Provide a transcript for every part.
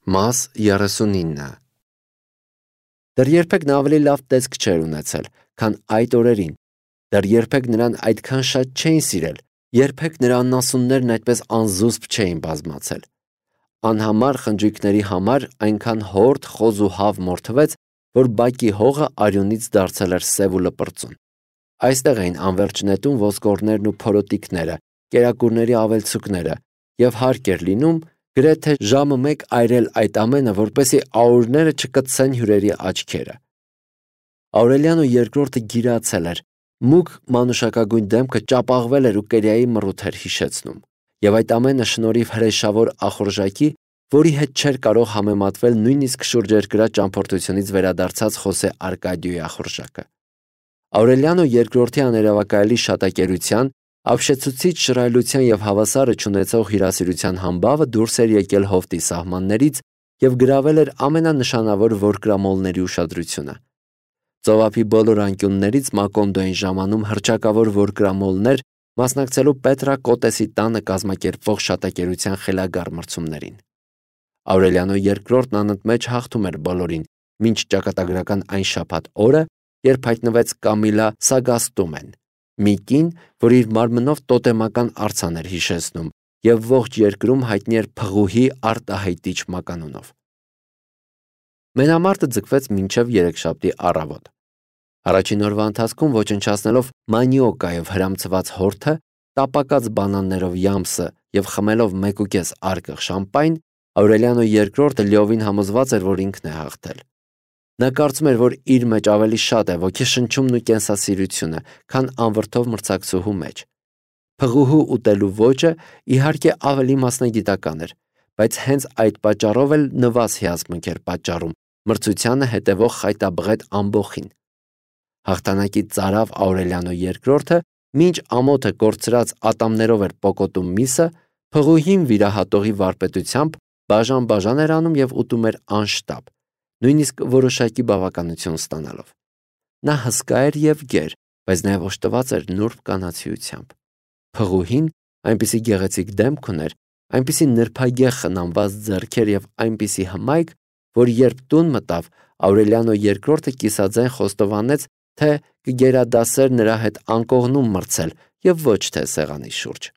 Մաս 39 Դեռ երբեք նա ավելի լավ տեսք չէր ունեցել, քան այդ օրերին, դեռ երբեք նրան այդքան շատ չէին սիրել, երբեք նրա անասուններն այդպես անզուսպ չէին բազմացել։ Անհամար խնջույքների համար այնքան հորդ, խոզ ու հավ մորթվեց, որ բակի հողը արյունից դարձել էր սև ու լպրծուն։ Այստեղ էին անվերջ նետում ոսկորներն ու փորոտիկները, կերակուրների ավելցուկները, եւ հարկ էր լինում գրեթե ժամը մեկ այրել այդ ամենը, որպեսզի աուրները չկծեն հյուրերի աչքերը։ Աուրելիանո երկրորդը գիրացել էր, մուգ մանուշակագույն դեմքը ճապաղվել էր ու կերիայի մռութ էր հիշեցնում, եւ այդ ամենը շնորհիվ հրեշավոր ախորժակի, որի հետ չէր կարող համեմատվել նույնիսկ շուրջերկրյա ճամփորդությունից վերադարձած Խոսե Արկադիոյի ախորժակը։ Աուրելիանո երկրորդի աներևակայելի շատակերության, ապշեցուցիչ շռայլության եւ հավասարը չունեցող հյուրասիրության համբավը դուրս էր եկել հովտի սահմաններից եւ գրավել էր ամենանշանավոր որկրամոլների ուշադրությունը։ Ծովափի բոլոր անկյուններից Մակոնդոյին ժամանում հռչակավոր որկրամոլներ, մասնակցելու Պետրա Կոտեսի տանը կազմակերպվող շատակերության խելագար մրցումներին։ Աուրելիանո երկրորդն անընդմեջ հաղթում էր բոլորին, մինչ ճակատագրական այն շաբաթ օրը, երբ հայտնվեց Կամիլա Սագաստումեն, մի կին, որ իր մարմնով տոտեմական արձան էր հիշեցնում եւ ողջ երկրում հայտնի էր փղուհի արտահայտիչ մականունով։ Մենամարտը ձգվեց մինչև երեքշաբթի առավոտ։ Առաջին օրվա ընթացքում ոչնչացնելով մանիոկայով հրամցված հորթը, տապակած բանաններով յամսը եւ խմելով 1.5 արկղ շամպայն, Աուրելիանո երկրորդը լիովին համոզված էր, որ ինքն է հաղթել։ Նա կարծում էր, որ իր մեջ ավելի շատ է ոգեշնչումն ու կենսասիրությունը, քան անվրդով մրցակցուհու մեջ։ Փղուհու ուտելու ոճը իհարկե ավելի մասնագիտական էր, բայց հենց այդ պատճառով էլ նվազ հիացմունք էր պատճառում մրցությանը հետևող խայտաբղետ ամբոխին։ Հաղթանակի ծարավ Աուրելիանո երկրորդը, մինչ ամոթը կորցրած ատամներով էր պոկոտում միսը, փղուհին վիրահատողի վարպետությամբ բաժան էր անում եւ ուտում էր անշտապ, նույնիսկ որոշակի բավականություն ստանալով։ Նա հսկա էր եւ գեր, բայց նաեւ օժտված էր նուրբ կանացիությամբ։ Փղուհին այնպիսի գեղեցիկ դեմք ուներ, այնպիսի նրբագեղ խնամված ձեռքեր եւ այնպիսի հմայք, որ երբ տուն մտավ, Աուրելիանո երկրորդը կիսաձայն խոստովանեց, թե կգերադասեր նրա հետ անկողնում մրցել եւ ոչ թե սեղանի շուրջ։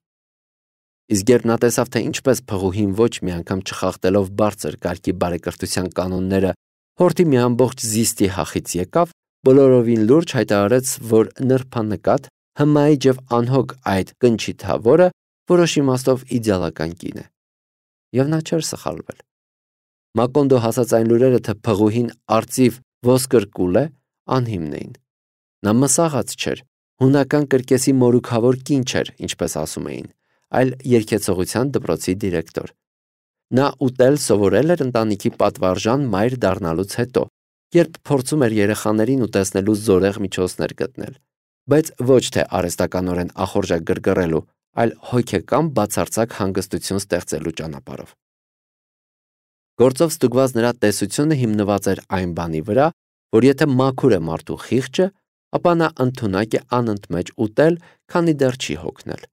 Իսկ երբ նա տեսավ, թե ինչպես փղուհին ոչ մի անգամ չխախտելով բարձր կարգի բարեկրթության կանոնները հորթի մի ամբողջ զիստի հախից եկավ, բոլորովին լուրջ հայտարարեց, որ նրբանկատ, հմայիչ եւ անհոգ այդ կնչիթավորը որոշ իմաստով իդեալական կին է։ Եվ նա չէր սխալվել։ Մակոնդո հասած այն լուրերը, թե փղուհին արծիվ ոսկրկուլ է, անհիմն էին։ Նա մսաղած չէր, հունական կրկեսի մորուքավոր կին չէր, ինչպես ասում էին, այլ երգեցողության դպրոցի դիրեկտոր։ Նա ուտել սովորել էր ընտանիքի պատվարժան մայր դառնալուց հետո, երբ փորձում էր երեխաներին ուտեսնելու զորեղ միջոցներ գտնել, բայց ոչ թե արհեստականորեն ախորժակ գրգռելու, այլ հոգեկան բացարձակ հանգստություն ստեղծելու ճանապարհով։ Գործով ստուգված նրա տեսությունը հիմնված էր այն բանի վրա, որ եթե մաքուր է մարդու խիղճը, ապա նա ընդունակ է անընդմեջ ուտել, քանի դեռ չի հոգնել։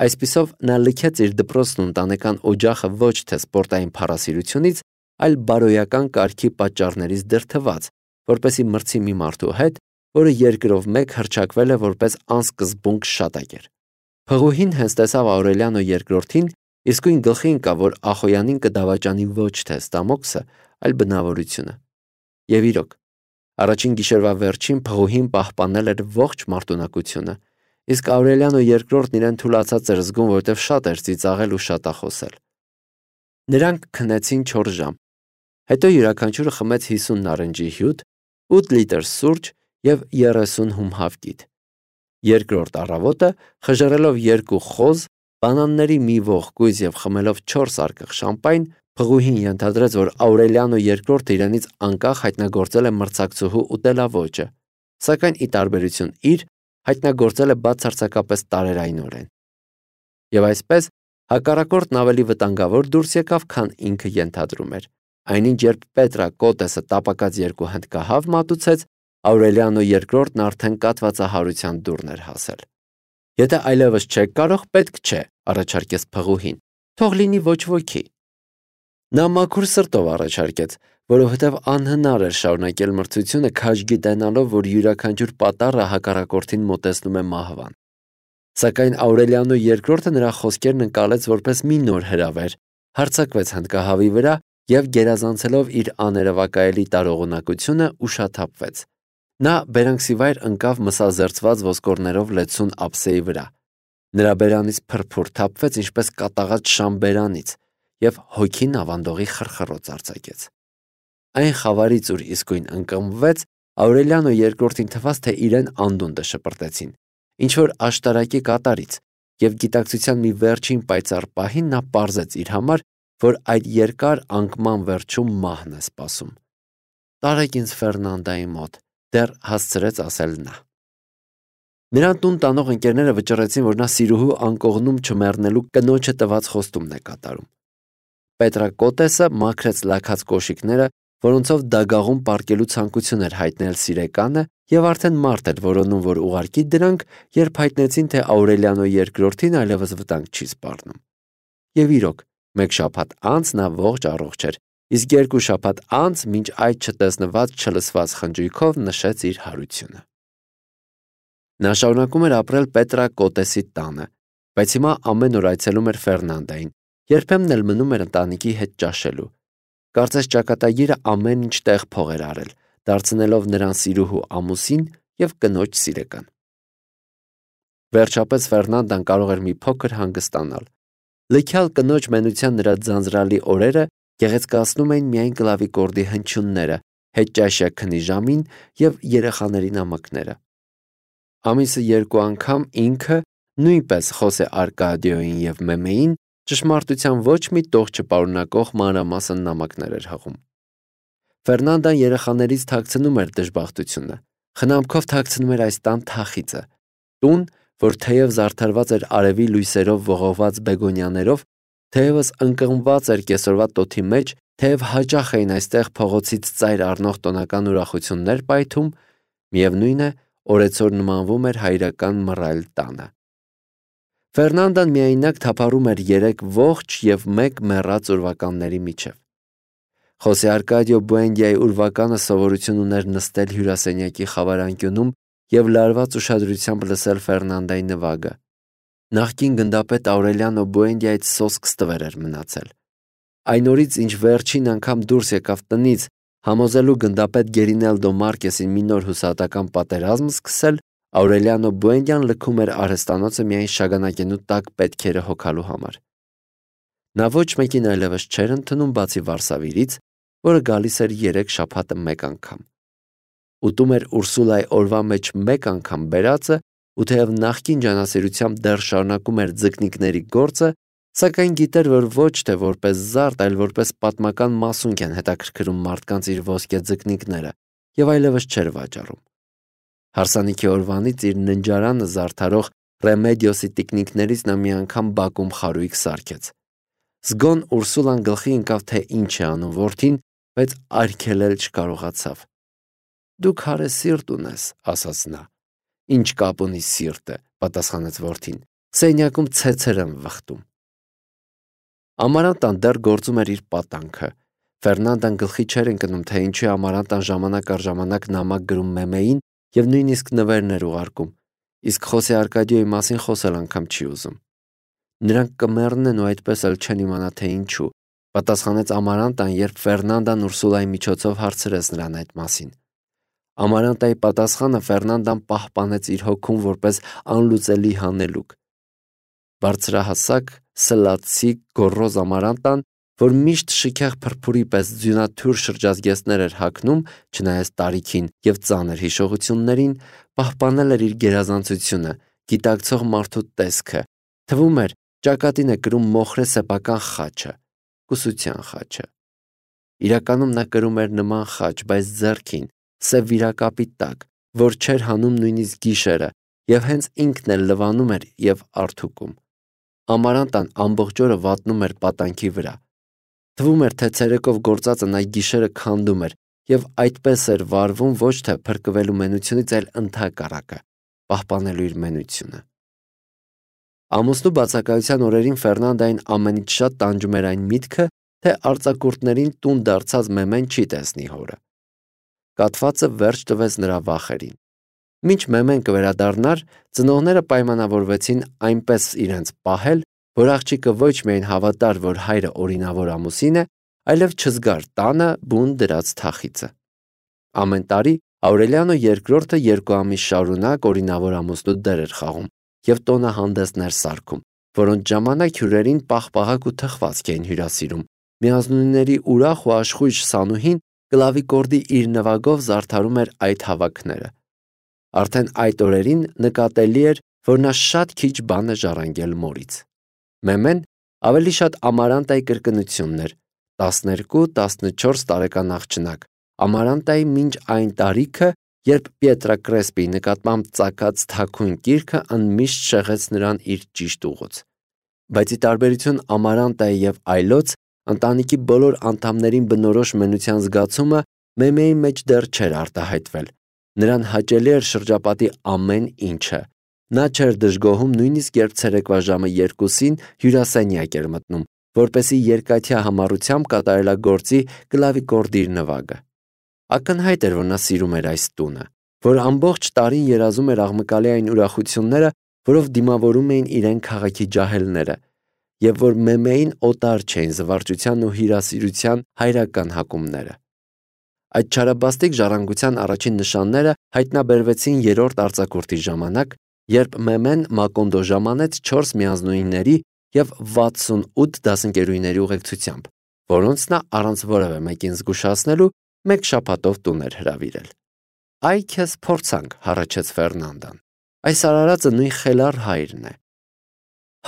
Այսպիսով նա լքեց իր դպրոցն ու ընտանեկան օջախը ոչ թե սպորտային փառասիրությունից, այլ բարոյական կարգի պատճառներից դրդված, որպեսի մրցի մի մարդու հետ, որը երկրով մեկ հռչակվել է որպես անսկզբունք շատակեր։ Փղուհին հենց տեսավ Աուրելիանո երկրորդին, իսկույն գլխի ընկավ, որ Ախոյանին կդավաճանի ոչ թե ստամոքսը, այլ բնավորությունը։ Եվ իրոք, առաջին գիշերվա վերջին փղուհին պահպանել էր ողջ մարտունակությունը, իսկ Աուրելիանո երկրորդն իրեն թուլացած էր զգում, որովհետև շատ էր ծիծաղել ու շատախոսել։ Նրանք քնեցին 4 ժամ, հետո յուրաքանչյուրը խմեց 50 նարնջի հյութ, 8 լիտր սուրճ եւ 30 հում հավկիթ։ Երկրորդ առավոտը, խժռելով 2 խոզ, բանանների մի ող կույզ եւ խմելով 4 արկղ շամպայն, փղուհին ենթադրեց, որ Աուրելիանո երկրորդը իրենից անկախ հայտնագործել է մրցակցուհու ուտելավոճը, սակայն ի տարբերություն իր հայտնագործել է բացարձակապես տարերայնորեն։ Եվ այսպես հակառակորդն ավելի վտանգավոր դուրս եկավ, քան ինքը ենթադրում էր։ Այնինչ երբ Պետրա Կոտեսը տապակած 2 հնդկահավ մատուցեց, Աուրելիանո երկրորդն արդեն կատվածահարության դուրն էր հասել։ Եթե այլևս չեք կարող, պետք չէ, առաջարկեց փղուհին, թող լինի ոչ ոքի։ Նա մաքուր սրտով առաջարկեց, որովհետև անհնար էր շարունակել մրցությունը քաջ գիտենալով, որ յուրաքանչյուր պատառը հակառակորդին մոտեցնում է մահվան։ Սակայն Աուրելիանո II նրա խոսքերն ընկալեց որպես մի նոր հրավեր, հարձակվեց հնդկահավի վրա և գերազանցելով իր աներևակայելի տարողունակությունը ուշաթափվեց։ Նա բերանքսիվայր ընկավ մսազերծված ոսկորներով լեցուն ափսեի վրա։ Նրա բերանից փրփուր թափվեց ինչպես կատաղած շան բերանից և հոգին ավանդողի խրխռոց արձակեց։ Այն խավարից, ուր իսկույն ընկղմվեց, Աուրելիանո II-ին թվաց, թե իրեն անդունդը շպրտեցին, ինչ-որ աշտարակի կատարից, և գիտակցության մի վերջին պայծառ պահին նա պարզեց իր համար, որ այդ երկար անկման վերջում մահն է սպասում։ «Տարեք ինձ Ֆերնանդայի մոտ», դեռ հասցրեց ասել նա։ Նրան տուն տանող ընկերները վճռեցին, որ նա սիրուհու անկողնում չմեռնելու կնոջը տված խոստումն է կատարում։ Պետրակոտեսը մաքրեց լաքած կոշիկները, որոնցով դագաղում պառկելու ցանկություն էր հայտնել սիրեկանը, և արդեն մարդ էր որոնում, որ ուղարկի դրանք, երբ հայտնեցին, թե Աուրելիանո II-ին այլևս վտանգ չի սպառնում։ Եվ իրոք, մեկ շաբաթ անց նա ողջ առողջ էր, իսկ 2 շաբաթ անց մինչ այդ չտեսնված չլսված խնջույքով նշեց իր հարությունը։ Նա շարունակում էր ապրել Պետրակոտեսի տանը, բայց հիմա ամեն օր այցելում էր Ֆերնանդային, երբեմն էլ մնում էր ընտանիքի հետ ճաշելու։ Կարծես ճակատագիրը ամեն ինչ տեղ փող էր արել, դարձնելով նրան սիրուհու ամուսին և կնոջ սիրեկան։ Վերջապես Ֆերնանդան կարող էր մի փոքր հանգստանալ։ Լքյալ կնոջ մենության նրա ձանձրալի օրերը գեղեցկացնում էին միայն կլավիկորդի հնչյունները, հետճաշյա քնի ժամին և երեխաների նամակները։ Ամիսը 2 անգամ ինքը, նույնպես Խոսե Արկադիոյին և Մեմեին, ճշմարտության ոչ մի տող չպարունակող մանրամասն նամակներ էր հղում։ Ֆերնանդան երեխաներից թաքցնում էր դժբախտությունը, խնամքով թաքցնում էր այս տան թախիծը, տուն, որ թեև զարդարված էր արևի լույսերով ողողված բեգոնյաներով, թեևս ընկղմված էր կեսօրվա տոթի մեջ, թեև հաճախ էին այստեղ փողոցից ծայր առնող տոնական ուրախություններ պայթում, միևնույն է, օրեցօր նմանվում էր հայրական մռայլ տանը։ Ֆերնանդան միայնակ թափառում էր 3 ողջ և 1 մեռած ուրվականների միջև։ Խոսե Արկադիո Բուենդիայի ուրվականը սովորություն ուներ նստել հյուրասենյակի խավարանկյունում և լարված ուշադրությամբ լսել Ֆերնանդայի նվագը։ Նախկին գնդապետ Աուրելիանո Բուենդիայից սոսկ ստվեր էր մնացել։ Այն օրից, ինչ վերջին անգամ դուրս եկավ տնից, համոզելու գնդապետ Գերինելդո Մարկեսին մի նոր հուսահատական պատերազմ սկսել, Աուրելիանո Բուենդյան լքում էր արհեստանոցը միայն շագանակենու տաք պետքերը հոգալու համար։ Նա ոչ մեկին այլևս չէր ընդունում, բացի Վարսավիրից, որը գալիս էր 3 շաբաթը մեկ անգամ։ Ուտում էր Ուրսուլայի օրվա մեջ 1 անգամ բերածը, ու թեև նախկին ջանասիրությամբ դեռ շարունակում էր ձկնիկների գործը, սակայն գիտեր, որ ոչ թե որպես զարդ, այլ որպես պատմական մասունք են հետաքրքրում մարդկանց իր ոսկե ձկնիկները, և այլևս չէր վաճառում։ Հարսանիքի օրվանից իր ննջարանը զարդարող Ռեմեդիոսի տիկնիկներից նա մի անգամ բակում խարույկ սարքեց։ Զգոն Ուրսուլան գլխի ընկավ, թե ինչ է անում որդին, բայց արգելել չկարողացավ։ «Դու քարե սիրտ ունես», ասաց նա։ «Ինչ կապ ունի սիրտը», պատասխանեց որդին, «սենյակում ցեցեր եմ վխտում»։ Ամարանտան դեռ գործում էր իր պատանքը։ Ֆերնանդան գլխի չէր ընկնում, թե ինչու է Ամարանտան ժամանակ առ ժամանակ նամակ գրում Մեմեին և նույնիսկ նվերներ ուղարկում, իսկ Խոսե Արկադիոյի մասին խոսել անգամ չի ուզում։ Նրանք կմեռնեն ու այդպես էլ չեն իմանա, թե ինչու, պատասխանեց Ամարանտան, երբ Ֆերնանդան Ուրսուլայի միջոցով հարցրեց նրան այդ մասին։ Ամարանտայի պատասխանը Ֆերնանդան պահպանեց իր հոգում որպես անլուծելի հանելուկ։ Բարձրահասակ, սլացիկ, գոռոզ Ամարանտան, որ միշտ շքեղ փրփուրի պես ձյունաթյուր շրջազգեստներ էր հագնում, չնայած տարիքին և ծանր հիշողություններին, պահպանել էր իր գերազանցությունը, գիտակցող մարդու տեսքը, թվում էր, ճակատին է կրում մոխրե սեփական խաչը, կուսության խաչը։ Իրականում նա կրում էր նման խաչ, բայց ձեռքին, սև վիրակապի տակ, որ չէր հանում նույնիսկ գիշերը, և հենց ինքն էլ լվանում էր և արթուկում։ Ամարանտան ամբողջ օրը վատնում էր պատանքի վրա։ Թվում էր, թե ցերեկով գործածը նա գիշերը քանդում էր և այդպես էր վարվում ոչ թե փրկվելու մենությունից, այլ ընդհակառակը, պահպանելու իր մենությունը։ Ամուսնու բացակայության օրերին Ֆերնանդային ամենից շատ տանջում էր այն միտքը, թե արձակուրդներին տուն դարձած Մեմեն չի տեսնի հորը։ Կաթվածը վերջ տվեց նրա վախերին։ Մինչ Մեմեն կվերադառնար, ծնողները պայմանավորվեցին այնպես իրենց պահել, որ աղջիկը ոչ միայն հավատար, որ հայրը օրինավոր ամուսին է, այլև չզգար տանը բուն դրած թախիծը։ Ամեն տարի Աուրելիանո II 2 ամիս շարունակ օրինավոր ամուսնու դեր էր խաղում և տոնահանդեսներ սարքում, որոնց ժամանակ հյուրերին պաղպաղակ ու թխվածք էին հյուրասիրում։ Միանձնուհիների ուրախ ու աշխույժ Սանուհին կլավիկորդի իր նվագով զարդարում էր այդ հավաքները։ Արդեն այդ օրերին նկատելի էր, որ նա շատ քիչ բան է ժառանգել մորից։ Մեմեն ավելի շատ Ամարանտայի կրկնությունն էր, 12-14 տարեկան աղջնակ, Ամարանտայի մինչ այն տարիքը, երբ Պիետրա Կրեսպիի նկատմամբ ծագած թաքուն կիրքը ընդմիշտ շեղեց նրան իր ճիշտ ուղուց։ Բայց ի տարբերություն Ամարանտայի և այլոց, ընտանիքի բոլոր անդամներին բնորոշ մենության զգացումը Մեմեի մեջ դեռ չէր արտահայտվել։ Նրան հաճելի էր շրջապատի ամեն ինչը։ Նա չէր դժգոհում նույնիսկ երբ ցերեկվա ժամը 2-ին հյուրասենյակ էր մտնում, որպեսզի երկաթյա համառությամբ կատարելագործի կլավիկորդի իր նվագը։ Ակնհայտ էր, որ նա սիրում էր այս տունը, որ ամբողջ տարին երազում էր աղմկալի այն ուրախությունները, որով դիմավորում էին իրեն քաղաքի ջահելները, և որ Մեմեին օտար չէին զվարճության ու հյուրասիրության հայրական հակումները։ Այդ չարաբաստիկ ժառանգության առաջին նշանները հայտնաբերվեցին երրորդ արձակուրդի ժամանակ, երբ Մեմեն Մակոնդո ժամանեց 4 միանձնուհիների և 68 դասընկերուհիների ուղեկցությամբ, որոնց նա առանց որևէ մեկին զգուշացնելու մեկ շաբաթով տուն էր հրավիրել։ «Այ քեզ փորձանք», հառաչեց Ֆերնանդան։ «Այս արարածը նույն խելառ հայրն է»։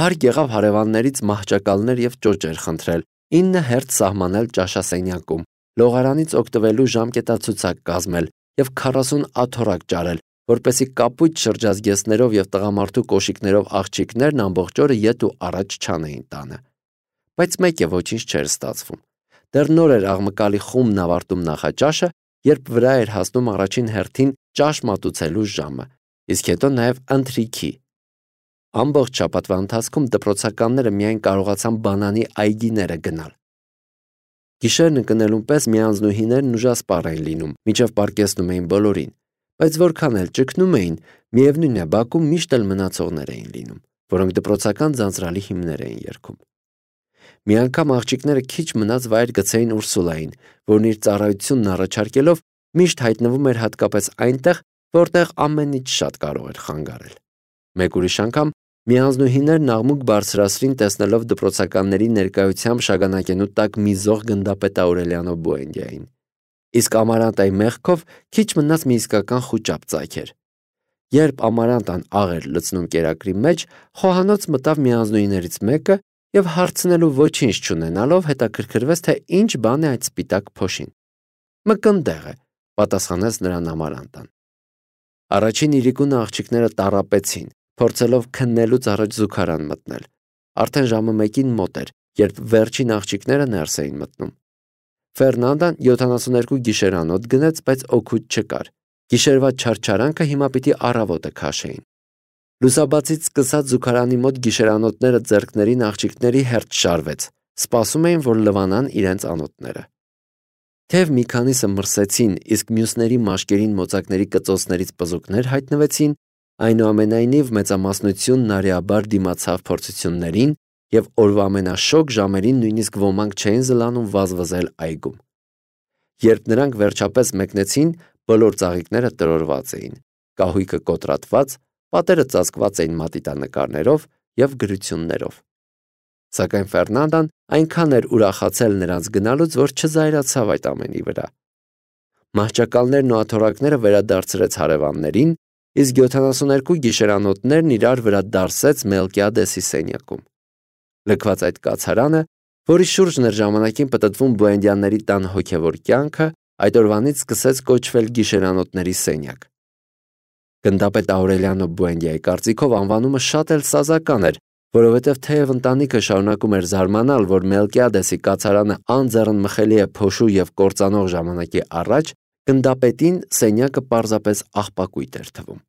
Հարկ եղավ հարևաններից մահճակալներ և ճոճեր խնդրել, 9 հերթ սահմանել ճաշասենյակում, լողարանից օգտվելու ժամկետացուցակ կազմել և 40 աթոռակ ճարել, որպեսզի կապույտ շրջազգեստներով և տղամարդու կոշիկներով աղջիկներն ամբողջ օրը ետ ու առաջ չանեին տանը։ Բայց մեկ է ոչինչ չէր ստացվում։ Դեռ նոր էր աղմկալի խումբն ավարտում նախաճաշը, երբ վրա էր հասնում առաջին հերթին ճաշ մատուցելու ժամը, իսկ հետո նաև ընթրիքի։ Ամբողջ շաբաթվա ընթացքում դպրոցականները միայն կարողացան բանանի այգիները գնալ։ Գիշերն ընկնելուն պես միանձնուհիներն ուժասպառ էին լինում, մինչև պառկեցնում էին բոլորին, բայց որքան էլ ճգնում էին, միևնույն է, բակում միշտ էլ մնացողներ էին լինում, որոնք դպրոցական ձանձրալի հիմներ էին երգում։ Մի անգամ աղջիկները քիչ մնաց վայր գցեին Ուրսուլային, որն իր ծառայությունն առաջարկելով միշտ հայտնվում էր հատկապես այնտեղ, որտեղ ամենից շատ կարող էր խանգարել։ Մեկ ուրիշ անգամ միանձնուհիներն աղմուկ բարձրացրին տեսնելով դպրոցականների ներկայությամբ շագանակենու տակ մի զող գնդապետ Աուրելիանո Բուենդիային։ Իսկ Ամարանտայի մեղքով քիչ մնաց մի իսկական խուճապ ծագեր։ Երբ Ամարանտան աղ էր լցնում կերակրի մեջ, խոհանոց մտավ միանձնուհիներից մեկը և հարցնելու ոչինչ չունենալով հետաքրքրվեց, թե ինչ բան է այդ սպիտակ փոշին։ «Մկնդեղ է», պատասխանեց նրան Ամարանտան։ Առաջին իրիկունը աղջիկները տառապեցին, փորձելով քննելուց առաջ զուգարան մտնել։ Արդեն ժամը 1-ին մոտ էր, երբ վերջին աղջիկները ներս էին մտնում։ Ֆերնանդան 72 գիշերանոց գնեց, բայց օգուտ չկար։ Գիշերվա չարչարանքը հիմա պիտի առավոտը քաշեին։ Լուսաբացից սկսած զուգարանի մոտ գիշերանոթները ձեռքներին աղջիկների հերթ շարվեց, սպասում էին, որ լվանան իրենց անոթները։ Թեև մի քանիսը մրսեցին, իսկ մյուսների մաշկերին մոծակների կծոցներից պզուկներ հայտնվեցին, այնուամենայնիվ մեծամասնությունն արիաբար դիմացավ փորձություններին և օրվա ամենաշոգ ժամերին նույնիսկ ոմանք չէին զլանում վազվզել այգում։ Երբ նրանք վերջապես մեկնեցին, բոլոր ծաղիկները տրորված էին, կահույքը կոտրատված, պատերը ծածկված էին մատիտանկարներով և գրություններով։ Սակայն Ֆերնանդան այնքան էր ուրախացել նրանց գնալուց, որ չզայրացավ այդ ամենի վրա։ Մահճակալներն ու աթոռակները վերադարձրեց հարևաններին, իսկ 72 գիշերանոթներն իրար վրա դարսեց Մելկիադեսի սենյակում։ Լքված այդ կացարանը, որի շուրջն էր ժամանակին պտտվում Բուենդիաների տան հոգևոր կյանքը, այդ օրվանից սկսեց կոչվել գիշերանոթների սենյակ։ Գնդապետ Աուրելիանո Բուենդիայի կարծիքով անվանումը շատ էլ սազական էր, որովհետև թեև ընտանիքը շարունակում էր զարմանալ, որ Մելկիադեսի կացարանը անձեռնմխելի է փոշու և կործանող ժամանակի առաջ, գնդապետին սենյակը պարզապես աղբակույտ էր թվում։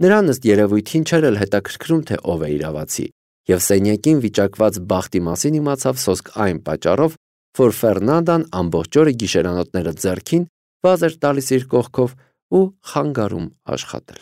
Նրան ըստ երևույթին չէր էլ հետաքրքրում, թե ով է իրավացի, եւ սենյակին վիճակված բախտի մասին իմացավ սոսկ այն պատճառով, որ Ֆերնանդան ամբողջ օրը գիշերանոթները ձեռքին վազ էր տալիս իր կողքով ու խանգարում աշխատել։